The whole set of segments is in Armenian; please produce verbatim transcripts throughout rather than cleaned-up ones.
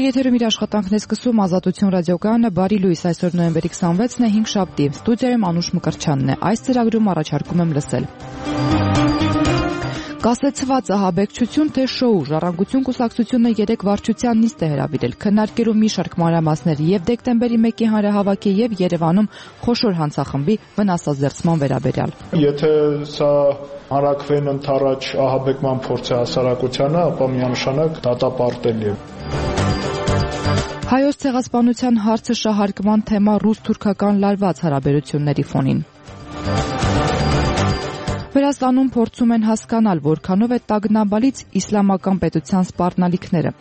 Եթերում իր աշխատանքն է սկսում Ազատություն ռադիոկայանը, բարի լույս, այսօր նոյեմբերի քսանվեցն է, հինգշաբթի, ստուդիայում Անուշ Մկրտչյանն է, այս ծրագրում առաջարկում եմ լսել։ Կասեցված ահաբեկչություն թե շոու, Ժառանգություն կուսակցությունը երեք վարչության նիստ է հրավիրել, քննարկելու մի շարք մանրամասներ եւ դեկտեմբերի մեկի հանրահավաքի եւ Երևանում խոշոր հանցախմբի վնասազերծման վերաբերյալ։ Եթե սա հարակվեն ընդառաջ ահաբեկման փորձ է հասարակությանը, ապա միանշանակ դատապարտելի է։ Հայոց ցեղասպանության հարցը շահարկման թեմա ռուս-թուրքական լարված հարաբերությունների ֆոնին։ Վրաստանում փորձում են հասկանալ, որքանով է տագնապալից իսլամական պետության սպառնալիքները։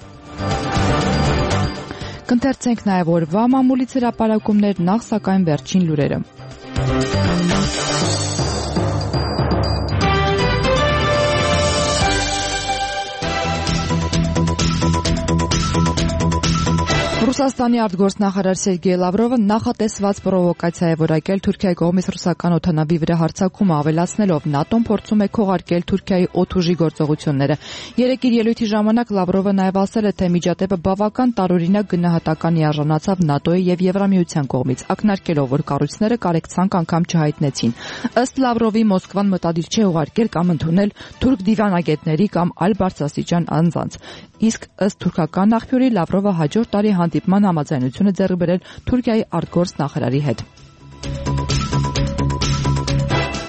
Կընթերցենք նաև օրվա մամուլից հրապարակումներ, նախ սակայն վերջին լուրերը։ Ռուսաստանի արտգործնախարար Սերգեյ Լավրովը նախատեսված պրովոկացիա է որակել Թուրքիայի կողմից ռուսական օդանավի վրա հարձակումը ավելացնելով ՆԱՏՕ-ն փորձում է քողարկել Թուրքիայի օդուժի գործողությունները։ Երեկ իր ելույթի ժամանակ Լավրովը նաև ասել է, թե միջադեպը բավական տարօրինակ գնահատականի արժանացավ ՆԱՏՕ-ի եւ Եվրամիության կողմից, ակնարկելով, որ կառույցները կարեկցանք անգամ չհայտնեցին։ Ըստ Լավրովի Մոսկվան մտադիր չէ ուղարկել կամ ընդունել թուրք դիվանագետների կամ այլ բարձրաստիճան անձանց։ Իսկ ըստ թուրքական աղբյուրի Լավրովը հաջորդ տարի հանդիպման համաձայնություն է ձեռք բերել Թուրքիայի արտգործնախարարի հետ։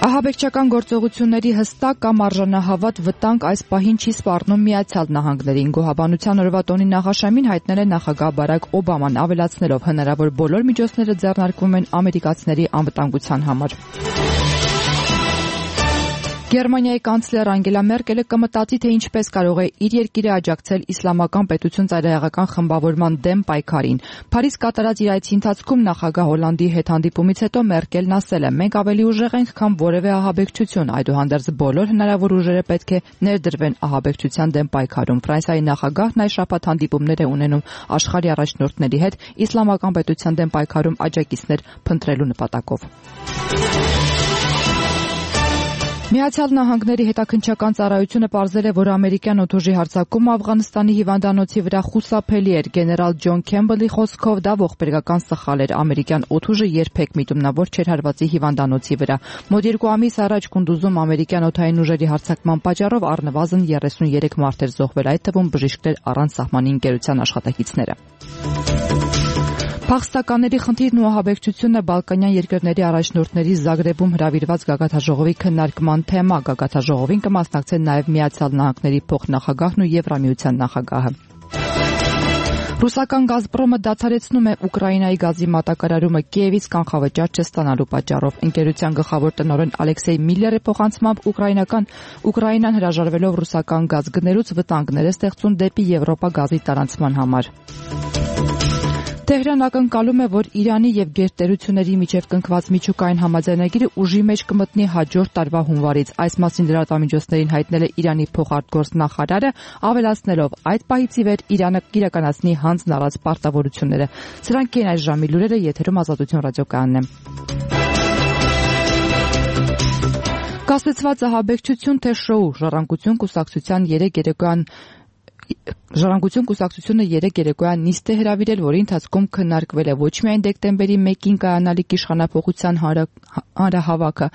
Ահաբեկչական գործողությունների հստակ կամ արժանահավատ վտանգ այս պահին չի սպառնում Միացյալ Նահանգներին։ Գոհաբանության օրվա տոնի նախաշեմին հայտնել է նախագահ Բարակ Օբաման, ավելացնելով հնարավոր բոլոր միջոցները ձեռնարկվում են ամերիկացիների անվտանգության համար։ Գերմանիայի կանցլեր Անգելա Մերկելը կմտածի, թե ինչպես կարող է իր երկիրը աջակցել իսլամական պետություն ծայրահեղական խմբավորման դեմ պայքարին։ Փարիզ կատարած իր այցի ընթացքում նախագահ Հոլանդի հետ հանդիպումից հետո Մերկելն ասել է. «Մենք ավելի ուժեղ ենք, քան որևէ ահաբեկչություն, այդուհանդերձ բոլոր հնարավոր ուժերը պետք է ներդրվեն ահաբեկչության դեմ պայքարում»։ Ֆրանսիայի նախագահն այս շաբաթ հանդիպումներ է ունենում աշխարհի առաջնորդների հետ իսլամական պետության դեմ պայքարում աջակիցներ փնտրելու նպատակով։ Միացյալ Նահանգների հետաքննչական ծառայությունը պարզել է, որ ամերիկյան օդուժի հարձակումը Աֆղանստանի հիվանդանոցի վրա խուսափելի էր։ Գեներալ Ջոն Քեմբելի խոսքով դա ողբերգական սխալ էր։ Ամերիկյան օդուժը երբեք միտումնավոր չէր հարվածի հիվանդանոցի վրա։ Մոտ երկու ամիս առաջ Կունդուզում ամերիկյան օդային ուժերի հարձակման պատճառով առնվազն երեսունյերեք մարդ էր զոհվել, այդ թվում բժիշկներ առանց սահմանի ընկերության աշխատակիցները։ Փախստականների խնդիրն ու ահաբեկչությունը Բալկանյան երկրների առաջնորդների Զագրեբում հրավիրված գագաթնաժողովի քննարկման թեմա։ Գագաթնաժողովին կմասնակցեն նաև Միացյալ Նահանգների փոխնախագահն ու Եվրամիության նախագահը։ Ռուսական Գազպրոմը դադարեցնում է Ուկրաինայի գազի մատակարարումը Կիևից կանխավճար չստանալու պատճառով։ Ընկերության գլխավոր տնօրեն Ալեքսեյ Միլլերի փոխանցմամբ Ուկրաինական Ուկրաինան հրաժարվելով ռուսական գազ գներուց վտանգներ է ստեղծում դեպի Եվրոպա գազի տարանցման համար։ Թեհրան ակնկալում է, որ Իրանի եւ գերտերությունների միջև կնքված միջուկային համաձայնագիրը ուժի մեջ կմտնի հաջորդ տարվա հունվարից։ Այս մասին լրատվամիջոցներին հայտնել է Իրանի փոխարտգործնախարարը, ավելացնելով, այդ պահից ի վեր Իրանը կիրականացնի հանձն առած պարտավորությունները։ Սրանք են այս ժամի լուրերը, եթերում Ազատություն ռադիոկայանն է։ Կասեցված ահաբեկչություն թե շոու, Ժառանգություն կուսակցության երեք երեկոյան Ժառանգություն կուսակցությունը երեք երեկոյան նիստ է հրավիրել, որի ընթացքում քննարկվել է ոչ միայն դեկտեմբերի մեկին կայանալիք իշխանափոխության հանրահավաքը,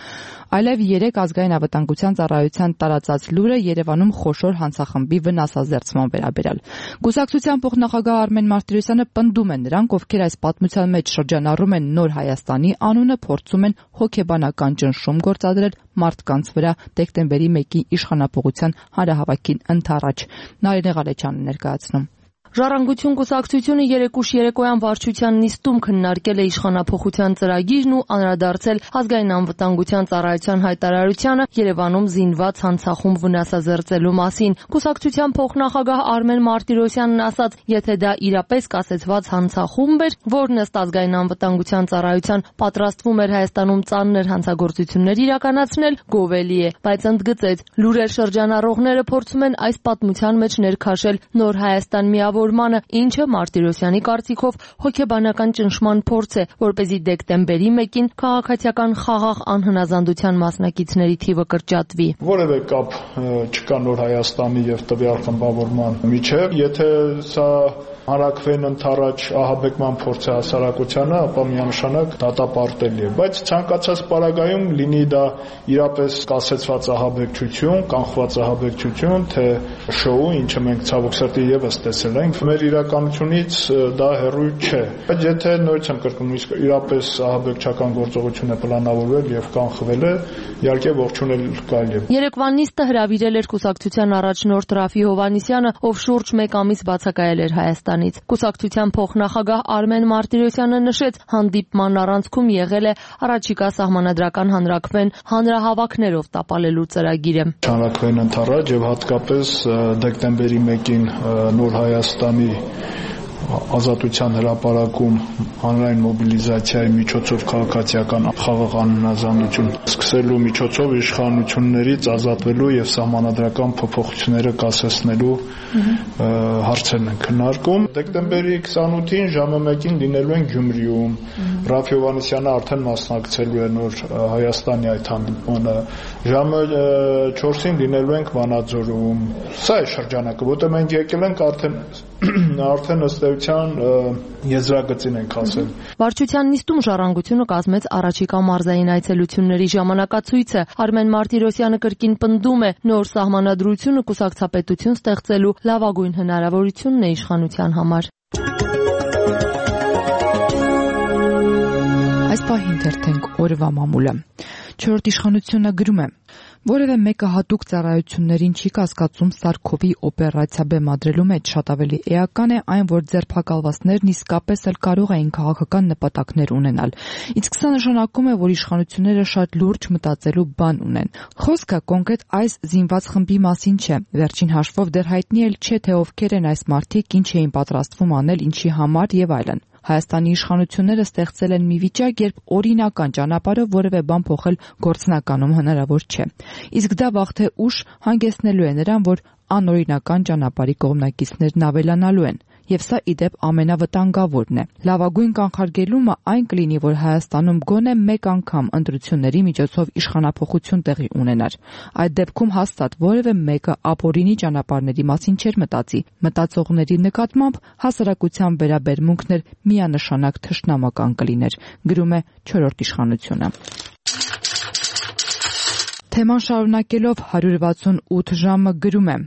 այլև երեք ազգային անվտանգության ծառայության տարածած լուրը Երևանում խոշոր հանցախմբի վնասազերծման վերաբերյալ։ Կուսակցության փոխնախագահ Արմեն Մարտիրոսյանը պնդում է, նրանք, ովքեր այս պատմության մեջ շրջանառում են Նոր Հայաստանի անունը, փորձում են հոգեբանական ճնշում գործադրել մարդկանց վրա դեկտեմբերի մեկի իշխանափոխության հանրահավաքին ընդառաջ։ Նարինե Ղալեչյանն ներկայացնում։ Ժառանգություն կուսակցությունը երեկ ուշ երեկոյան վարչության նիստում քննարկել է իշխանափոխության ծրագիրն ու անդրադարձել ազգային անվտանգության ծառայության հայտարարությանը Երևանում զինված հանցախումբ վնասազերծելու մասին։ Կուսակցության փոխնախագահ Արմեն Մարտիրոսյանն ասաց, եթե դա իրապես կասեցված հանցախումբ էր, որն ըստ ազգային անվտանգության ծառայության պատրաստվում էր Հայաստանում ծանր հանցագործություններ իրականացնել, գովելի է, բայց ընդգծեց, լուրեր շրջանառողները փորձում են այս պատմության մեջ ներքաշել Նոր Հայաստան միավոր ինչը Մարտիրոսյանի կարծիքով հոգեբանական ճնշման փորձ է, որպեսզի դեկտեմբերի մեկին քաղաքացիական խաղաղ անհնազանդության մասնակիցների թիվը կրճատվի։ Որևէ կապ չկա Նոր Հայաստանի եւ տվյալ խմբավորման միջև, եթե սա հանրաքվեն ընթառաջ ահաբեկման փորձ է հասարակությանը, ապա միանշանակ դատապարտելի է, բայց ցանկացած պարագայում լինի դա իրապես կասեցված ահաբեկչություն, կանխված ահաբեկչություն, թե շոու, ինչը մենք ցավոք սրտի եւս տեսել ենք, մեր իրականությունից դա հեռու չէ։ Բայց եթե նորից եմ կրկնում, իսկ իրապես ահաբեկչական գործողություն է պլանավորվել եւ կանխվել է, իհարկե ողջունել կարելի է։ Երեկվան նիստը հրավիրել էր կուսակցության առաջնորդ Ռաֆի Հովհաննիսյանը, ով շուրջ մեկ ամիս բացակայել էր Հայաստանից։ Կուսակցության փոխնախագահ Արմեն Մարտիրոսյանը նշեց, հանդիպման առանցքում եղել է առաջիկա սահմանադրական հանրաքվեն հանրահավաքներով տապալելու ծրագիրը։ Հանրաքվեն ընթառաջ եւ հատկապես դեկտեմբերի մեկին Նոր Հայաստանի Ազատության հրապարակում հանրային մոբիլիզացիայի միջոցով քաղաքացիական խաղաղ անհնազանդություն սկսելու միջոցով իշխանություններից ազատվելու եւ սահմանադրական փոփոխությունները կասեցնելու հարցերն են քննարկում։ Դեկտեմբերի քսանութին ժամը մեկին լինելու են Գյումրիում։ Ռաֆի Հովհաննիսյանը արդեն մասնակցելու է Նոր Հայաստանի այդ հանդիպմանը։ Ժամը չորսին լինելու ենք Վանաձորում։ Սա է շրջանակը, որտեղ մենք եկել ենք արդեն արդեն ըստեյության եզրագծին ենք ասել։ Վարչության նիստում ժառանգությունը կազմեց առաջիկա մարզային այցելությունների ժամանակացույցը։ Արմեն Մարտիրոսյանը կրկին պնդում է, նոր սահմանադրությունը կուսակցապետություն ստեղծելու լավագույն հնարավորությունն է իշխանության համար։ Այս պահին թերթենք օրվա մամուլը։ Չորրորդ իշխանությունը գրում է. Որևէ մեկը հատուկ ծառայություններին չի կասկածում Սարքովի օպերացիա բեմադրելու մեջ, շատ ավելի էական է այն, որ ձերբակալվածներն իսկապես էլ կարող էին քաղաքական նպատակներ ունենալ։ Իսկ սա նշանակում է, որ իշխանությունները շատ լուրջ մտածելու բան ունեն։ Խոսքը կոնկրետ այս զինված խմբի մասին չէ։ Վերջին հաշվով դեռ հայտնի էլ չէ, թե ովքեր են այս մարդիկ, ինչ էին պատրաստվում անել, ինչի համար եւ այլն։ Հայաստանի իշխանությունները ստեղծել են մի վիճակ, երբ օրինական ճանապարհով որևէ բան փոխել գործնականում հնարավոր չէ։ Իսկ դա վաղ թե ուշ հանգեցնելու է նրան, որ անօրինական ճանապարհի կողմնակիցներն ավելանալու են։ Եվ սա իդեպ ամենավտանգավորն է։ Լավագույն կանխարգելումը այն կլինի, որ Հայաստանում գոնե մեկ անգամ ընտրությունների միջոցով իշխանափոխություն տեղի ունենար։ Այդ դեպքում հաստատ որևէ մեկը ապօրինի ճանապարհների մասին չէր մտածի։ Մտածողների նկատմամբ հասարակության վերաբերմունքն էր միանշանակ թշնամական կլիներ, գրում է չորրորդ իշխանությունը։ Թեման շարունակելով հարյուր վաթսունութ ժամը գրում է.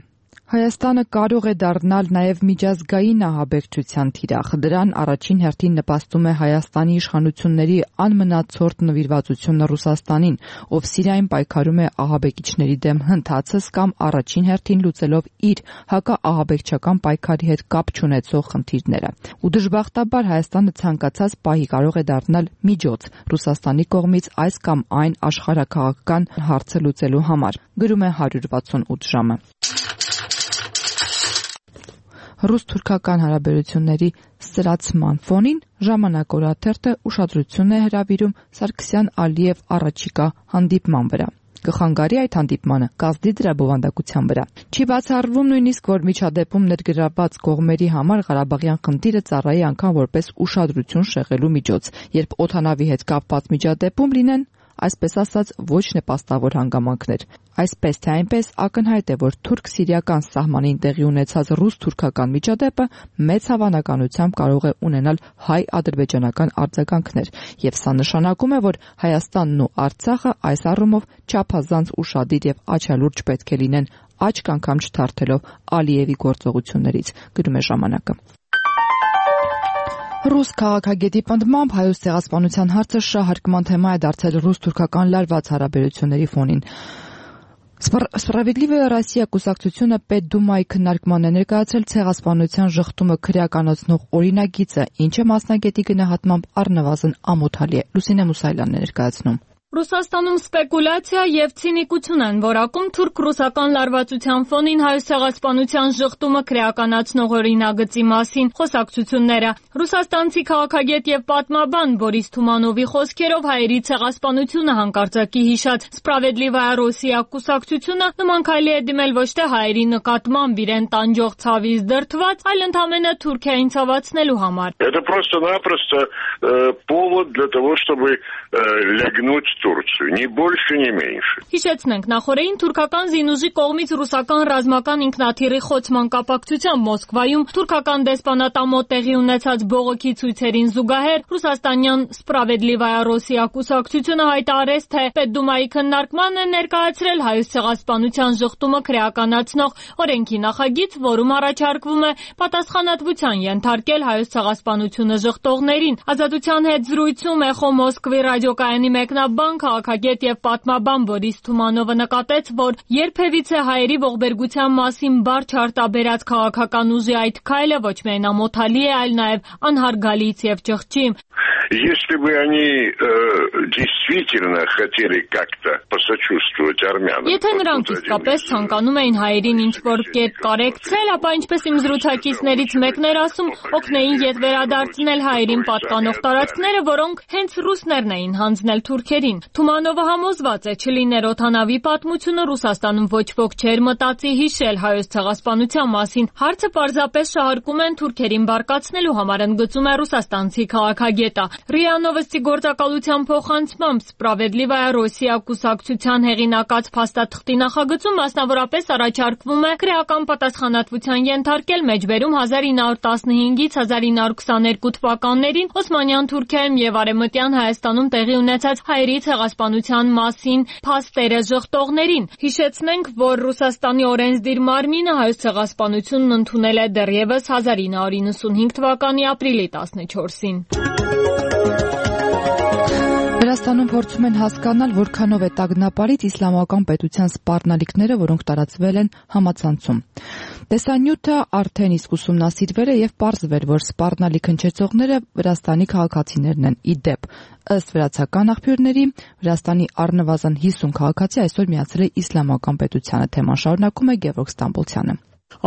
Հայաստանը կարող է դառնալ նաև միջազգային ահաբեկչության թիրախ։ Դրան առաջին հերթին նպաստում է Հայաստանի իշխանությունների անմնացորդ նվիրվածությունը Ռուսաստանին, ով Սիրիայում պայքարում է ահաբեկիչների դեմ հնդածս կամ առաջին հերթին լուծելով իր հակաահաբեկչական պայքարի հետ կապ չունեցող խնդիրները։ Ու դժբախտաբար Հայաստանը ցանկացած պահի կարող է դառնալ միջոց Ռուսաստանի կողմից այս կամ այն աշխարհաքաղաքական հարցը լուծելու համար, գրում է հարյուր վաթսունութ ժամը։ Ռուս-թուրքական հարաբերությունների սրացման ֆոնին Ժամանակ օրաթերթը ուշադրություն է հրավիրում Սարգսյան-Ալիև առաջիկա հանդիպման վրա։ Կխանգարի այդ հանդիպմանը կազդի դրա բովանդակության վրա։ Չի բացառվում նույնիսկ, որ միջադեպում ներգրավված կողմերի համար Ղարաբաղյան խնդիրը ծառայի անգամ որպես ուշադրություն շեղելու միջոց, երբ օդանավի հետ կապված միջադեպում լինեն, այսպես ասած, ոչ նպաստավոր հանգամանքներ։ Այսպես թե այնպես ակնհայտ է, որ թուրք-սիրիական սահմանին տեղի ունեցած ռուս-թուրքական միջադեպը մեծ հավանականությամբ կարող է ունենալ հայ-ադրբեջանական արձագանքներ, եւ սա նշանակում է, որ Հայաստանն ու Արցախը այս առումով չափազանց ուշադիր եւ աչալուրջ պետք է լինեն, աչք անգամ չթարթելով Ալիևի գործողություններից, գրում է ժամանակը։ Ռուս քաղաքագետի պնդմամբ Հայոց ցեղասպանության հարցը շահարկման թեմա է դարձել ռուս-թուրքական լարված հարաբերությունների ֆոնին։ Սպրավեդլիվая Ռոսիա կուսակցությունը Պետդումայի քննարկման է ներկայացրել ցեղասպանության ժխտումը քրեականացնող օրինագիծը, ինչը մասնագետի գնահատմամբ առնվազն ամոթալի է։ Լուսինե Մուսայելյանն է ներկայացնում։ Ռուսաստանում սպեկուլյացիա եւ ցինիկություն են որակում թուրք-ռուսական լարվածության ֆոնին հայոց ցեղասպանության ժխտումը քրեականացնող օրինագծի մասին խոսակցությունները։ Ռուսաստանցի քաղաքագետ եւ պատմաբան Բորիս Թումանովի խոսքերով հայերի ցեղասպանությունը հանկարծակի հիշած Սպրավեդլիվая Ռոսիա կուսակցությունը նման քայլի է դիմել ոչ թե հայերի նկատմամբ իրեն տանջող ցավից դրդված, այլ ընդհանրապես Թուրքիային ցավացնելու համար։ Это просто-напросто повод для того, чтобы лягнуть Турцию, ни больше, ни меньше. Հիշեցնենք, նախորդին թուրքական զինուժի կողմից ռուսական ռազմական ինքնաթիռի խոցման կապակցությամբ Մոսկվայում թուրքական դեսպանատամոտ տեղի ունեցած բողոքի ցույցերին զուգահեռ ռուսաստանյան Սպրավեդլիվայա Ռոսիա կուսակցությունը հայտարարեց, թե Պետդումայի քննարկման է ներկայացրել Հայոց ցեղասպանության ժխտումը քրեականացնող օրենքի նախագիծ, որում առաջարկվում է պատասխանատվության ենթարկել Հայոց ցեղասպանությունը ժխտողներին։ Ազատության հետ զրույցում Էխո Մոսկվի ռադիոկայանի մեկնաբան, քաղաքագետ եւ պատմաբան Բորիս Թումանովը նկատեց, որ երբևիցե հայերի ողբերգության մասին բարձ արտաբերած քաղաքական ուժի այդ քայլը ոչ միայն ամոթալի է, այլ նաեւ անհարգալից եւ ճղճի։ Если бы они э, действительно хотели как-то посочувствовать армянам. Եթե նրանք իսկապես ցանկանում էին հայերին ինչ-որ կերպ կարեկցել, ապա ինչպես իմ զրուցակիցներից մեկն էր ասում, օգնեին ետ վերադարձնել հայերին պատկանող տարածքները, որոնք հենց ռուսներն էին հանձնել թուրքերին։ Թումանովը համոզված է, չլիներ օդանավի պատմությունը, Ռուսաստանում ոչ ոք չէր մտածի հիշել Հայոց ցեղասպանության մասին։ Հարցը պարզապես շահարկում են թուրքերին բարկացնելու համար, ընդգծում է ռուսաստանցի քաղաքագետը։ ՌԻԱ Նովոստի գործակալության փոխանցմամբ Սպրավեդլիվայա Ռոսիա կուսակցության հեղինակած փաստաթղթի նախագծում մասնավորապես առաջարկվում է քրեական պատասխանատվության ենթարկել մեջբերում հազար ինը հարյուր տասնհինգից հազար ինը հարյուր քսաներկու թվականներին Օսմանյան Թուրքիայում եւ Արևմտյան Հայաստանում տեղի ունեցած հայերի ցեղասպանության մասին փաստերը ժխտողներին։ Հիշեցնենք, որ Ռուսաստանի օրենսդիր մարմինը Հայոց ցեղասպանությունն ընդունել է դեռևս հազար ինը հարյուր իննսունհինգ թվականի ապրիլի տասնչորսին։ Վրաստանում փորձում են հասկանալ, որքանով է տագնապարից իսլամական պետության սպառնալիքները, որոնք տարածվել են համացանցում։ Տեսանյութը արդեն իսկ ուսումնասիրվել է եւ պարզվել, որ սպառնալիք հնչեցողները Վրաստանի քաղաքացիներն են։ Ի դեպ, ըստ վրացական աղբյուրների, Վրաստանի առնվազն հիսուն քաղաքացի այսօր միացել է իսլամական պետությանը։ Թեման շարունակում է Գևորգ Ստամբոլցյանը։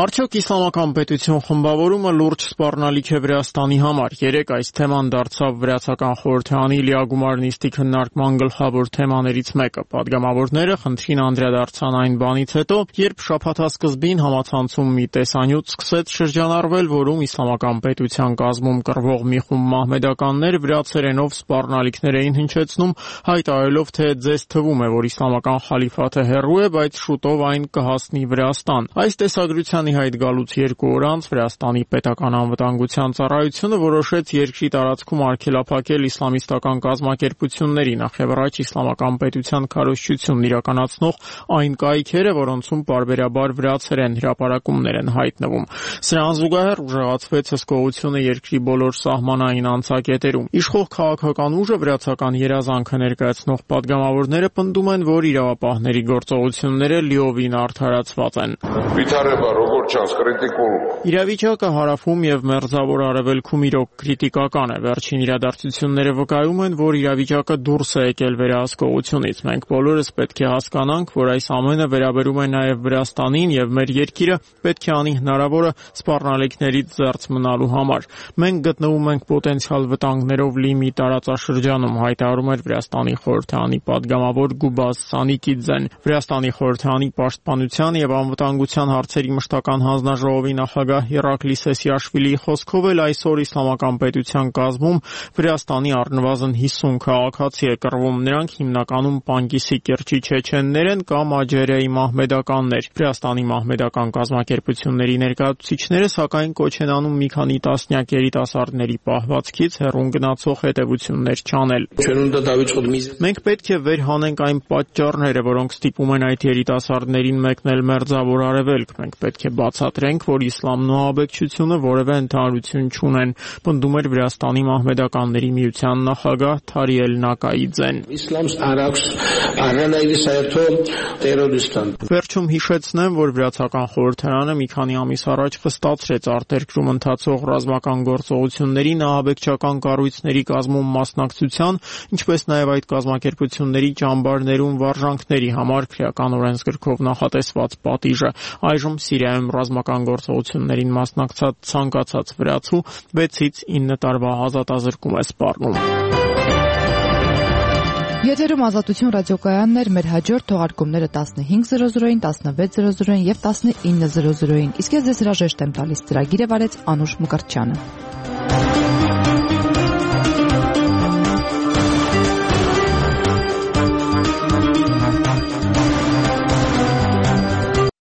Արդյոք իսլամական պետություն խմբավորումը լուրջ սպառնալիք է Վրաստանի համար։ Երեկ այս թեման դարձավ վրացական խորհրդարանի լիագումար նիստի քննարկման գլխավոր թեմաներից մեկը։ Պատգամավորները խնդրին անդրադարձան այն բանից հետո, երբ շաբաթասկզբին համացանցում մի տեսանյութ սկսեց շրջանառվել, որում իսլամական պետության կազմում կռվող մի խումբ մահմեդականներ վրացերենով սպառնալիքներ էին հնչեցնում, հայտարարելով, թե ձեզ թվում է, որ իսլամական խալիֆաթը հեռու է, բայց շուտով այն կհասնի Վրաստան։ Այս տեսագրությանի հայտ գալուց երկու օր անց Վրաստանի պետական անվտանգության ծառայությունը որոշեց երկրի տարածքում արգելափակել իսլամիստական կազմակերպությունների, նախևառաջ իսլամական պետության քարոզչությունն իրականացնող այն կայքերը, որոնցում պարբերաբար վրացերեն հրապարակումներ են հայտնվում։ Սրան զուգահեռ ուժեղացվեց հսկողությունը երկրի բոլոր սահմանային անցակետերում։ Իշխող քաղաքական ուժը վրացական երազանքը ներկայացնող պատգամավորները պնդում են, որ իրավապահների գործողությունները լիովին արդարացված են։ Իրավիճակը հարավում եւ մերձավոր արևելքում իրոք քրիտիկական է։ Վերջին իրադարձությունները վկայում են, որ իրավիճակը դուրս է եկել վերահսկողությունից։ Մենք բոլորս պետք է հասկանանք, որ այս ամենը վերաբերում է նաեւ Վրաստանին եւ մեր երկիրը պետք է անի հնարավորը սպառնալիքներից զերծ մնալու համար։ Մենք գտնվում ենք պոտենցիալ վտանգներով լի մի տարածաշրջանում, հայտարարում էր Վրաստանի խորհրդարանի պատգամավոր Գուբազ Սանիկիձեն։ Վրաստանի խորհրդարանի պաշտպանության եւ անվտանգության հարցերի մշտական հանձնաժողովի նախագահ Իրակլի Սեսիաշվիլիի խոսքով էլ այսօր իսլամական պետության կազմում Վրաստանի առնվազն հիսուն քաղաքացի է կռվում։ Նրանք հիմնականում Պանգիսի կիրճի չեչեններ են կամ Աջերիայի մահմեդականներ։ Վրաստանի մահմեդական կազմակերպությունների ներկայացուցիչները սակայն կոչ են անում մի քանի տասնյակ երիտասարդների պահվածքից հեռուն գնացող հետևություններ չանել։ Մենք պետք է վերհանենք այն պատճառները, որոնք ստիպում են այդ երիտասարդներին մեկնել մերձավոր արևելք։ Մենք պետք է բացատրենք, որ իսլամն ու ահաբեկչությունը որևէ ընդհանրություն չունեն, պնդում էր Վրաստանի մահմեդականների միության նախագահ Թարիել Նակաիձեն։ Վերջում հիշեցնեմ, որ Վրացական խորհրդարանը մի քանի ամիս առաջ խստացրեց արտերկրում ընթացող ռազմական գործողություններին ահաբեկչական կառույցների կազմում մասնակցության, ինչպես նաև այդ կազմակերպությունների ճամբարներում վարժանքների համար քրեական օրենսգրքով նախատեսված պատիժը։ Այժմ Սիրիայում ռազմական գործողություններին մասնակցած ցանկացած վրացու վեցից ինը տարվա ազատազրկում է սպառնում։ Եթերում Ազատություն ռադիոկայանն էր, մեր հաջորդ թողարկումները տասնհինգ զրո զրոին, տասնվեց զրո զրոին եւ տասնինը զրո զրոին։ Իսկ ես ձեզ հրաժեշտ եմ տալիս, ծրագիրը վարեց Անուշ Մկրտչյանը։